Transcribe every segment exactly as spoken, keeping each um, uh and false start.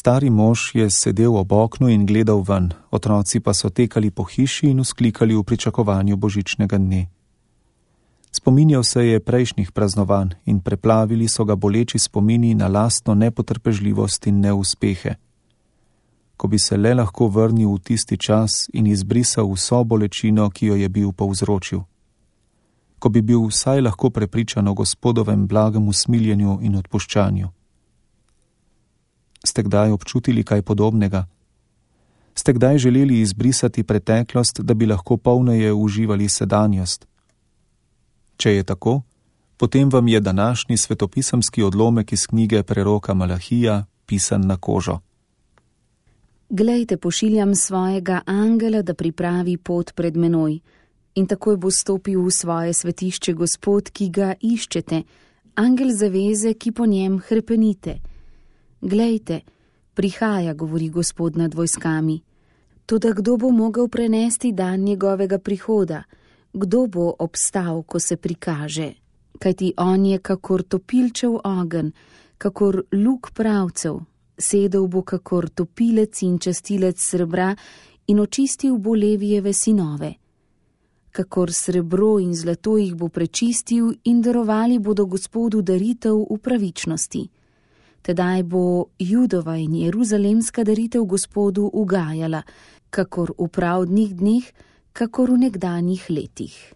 Stari mož je sedel ob oknu in gledal ven, otroci pa so tekali po hiši in vzklikali v pričakovanju božičnega dne. Spominjal se je prejšnjih praznovanj in preplavili so ga boleči spomini na lastno nepotrpežljivost in neuspehe. Ko bi se le lahko vrnil v tisti čas in izbrisal vso bolečino, ki jo je bil povzročil. Ko bi bil vsaj lahko prepričan o Gospodovem blagem usmiljenju in odpuščanju. Ste kdaj občutili kaj podobnega? Ste kdaj želeli izbrisati preteklost, da bi lahko polneje uživali sedanjost? Če je tako, potem vam je današnji svetopisemski odlomek iz knjige preroka Malahija pisan na kožo. Glejte, pošiljam svojega angela, da pripravi pot pred menoj, in takoj bo stopil v svoje svetišče Gospod, ki ga iščete, angel zaveze, ki po njem hrepenite. Glejte, prihaja, govori Gospod nad vojskami. Toda kdo bo mogel prenesti dan njegovega prihoda? Kdo bo obstal, ko se prikaže? Kajti on je kakor topilčev ogenj, kakor luk pravcev, sedel bo kakor topilec in častilec srebra in očistil bo Levijeve sinove. Kakor srebro in zlato jih bo prečistil in darovali bodo Gospodu daritev v pravičnosti. Tedaj bo Judova in Jeruzalemska daritev Gospodu ugajala, kakor v pravdnih dneh, kakor v nekdanjih letih.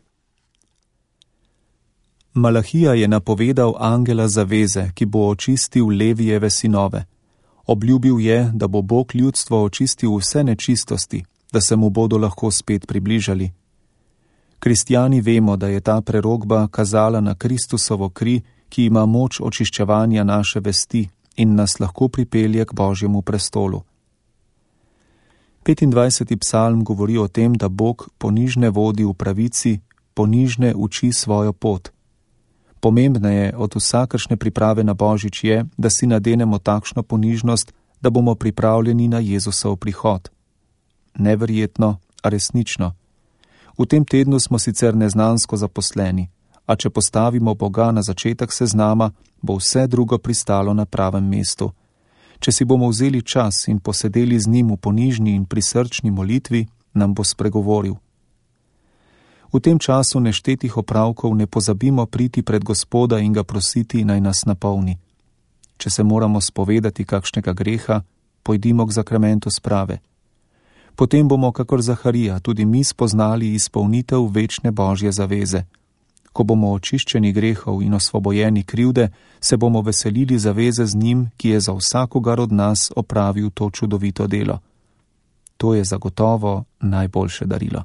Malahija je napovedal angela zaveze, ki bo očistil Levijeve sinove. Obljubil je, da bo Bog ljudstvo očistil vse nečistosti, da se mu bodo lahko spet približali. Kristjani vemo, da je ta prerokba kazala na Kristusovo kri, ki ima moč očiščevanja naše vesti in nas lahko pripelje k Božjemu prestolu. petindvajseti psalm govori o tem, da Bog ponižne vodi v pravici, ponižne uči svojo pot. Pomembneje od vsakršne priprave na Božič je, da si nadenemo takšno ponižnost, da bomo pripravljeni na Jezusov prihod. Neverjetno, a resnično. V tem tednu smo sicer neznansko zaposleni, a če postavimo Boga na začetek seznama, bo vse drugo pristalo na pravem mestu. Če si bomo vzeli čas in posedeli z njim v ponižni in prisrčni molitvi, nam bo spregovoril. V tem času neštetih opravkov ne pozabimo priti pred Gospoda in ga prositi, naj nas napolni. Če se moramo spovedati kakšnega greha, pojdimo k zakramentu sprave. Potem bomo, kakor Zaharija, tudi mi spoznali izpolnitev večne Božje zaveze. Ko bomo očiščeni grehov in osvobojeni krivde, se bomo veselili zaveze z njim, ki je za vsakogar od nas opravil to čudovito delo. To je zagotovo najboljše darilo.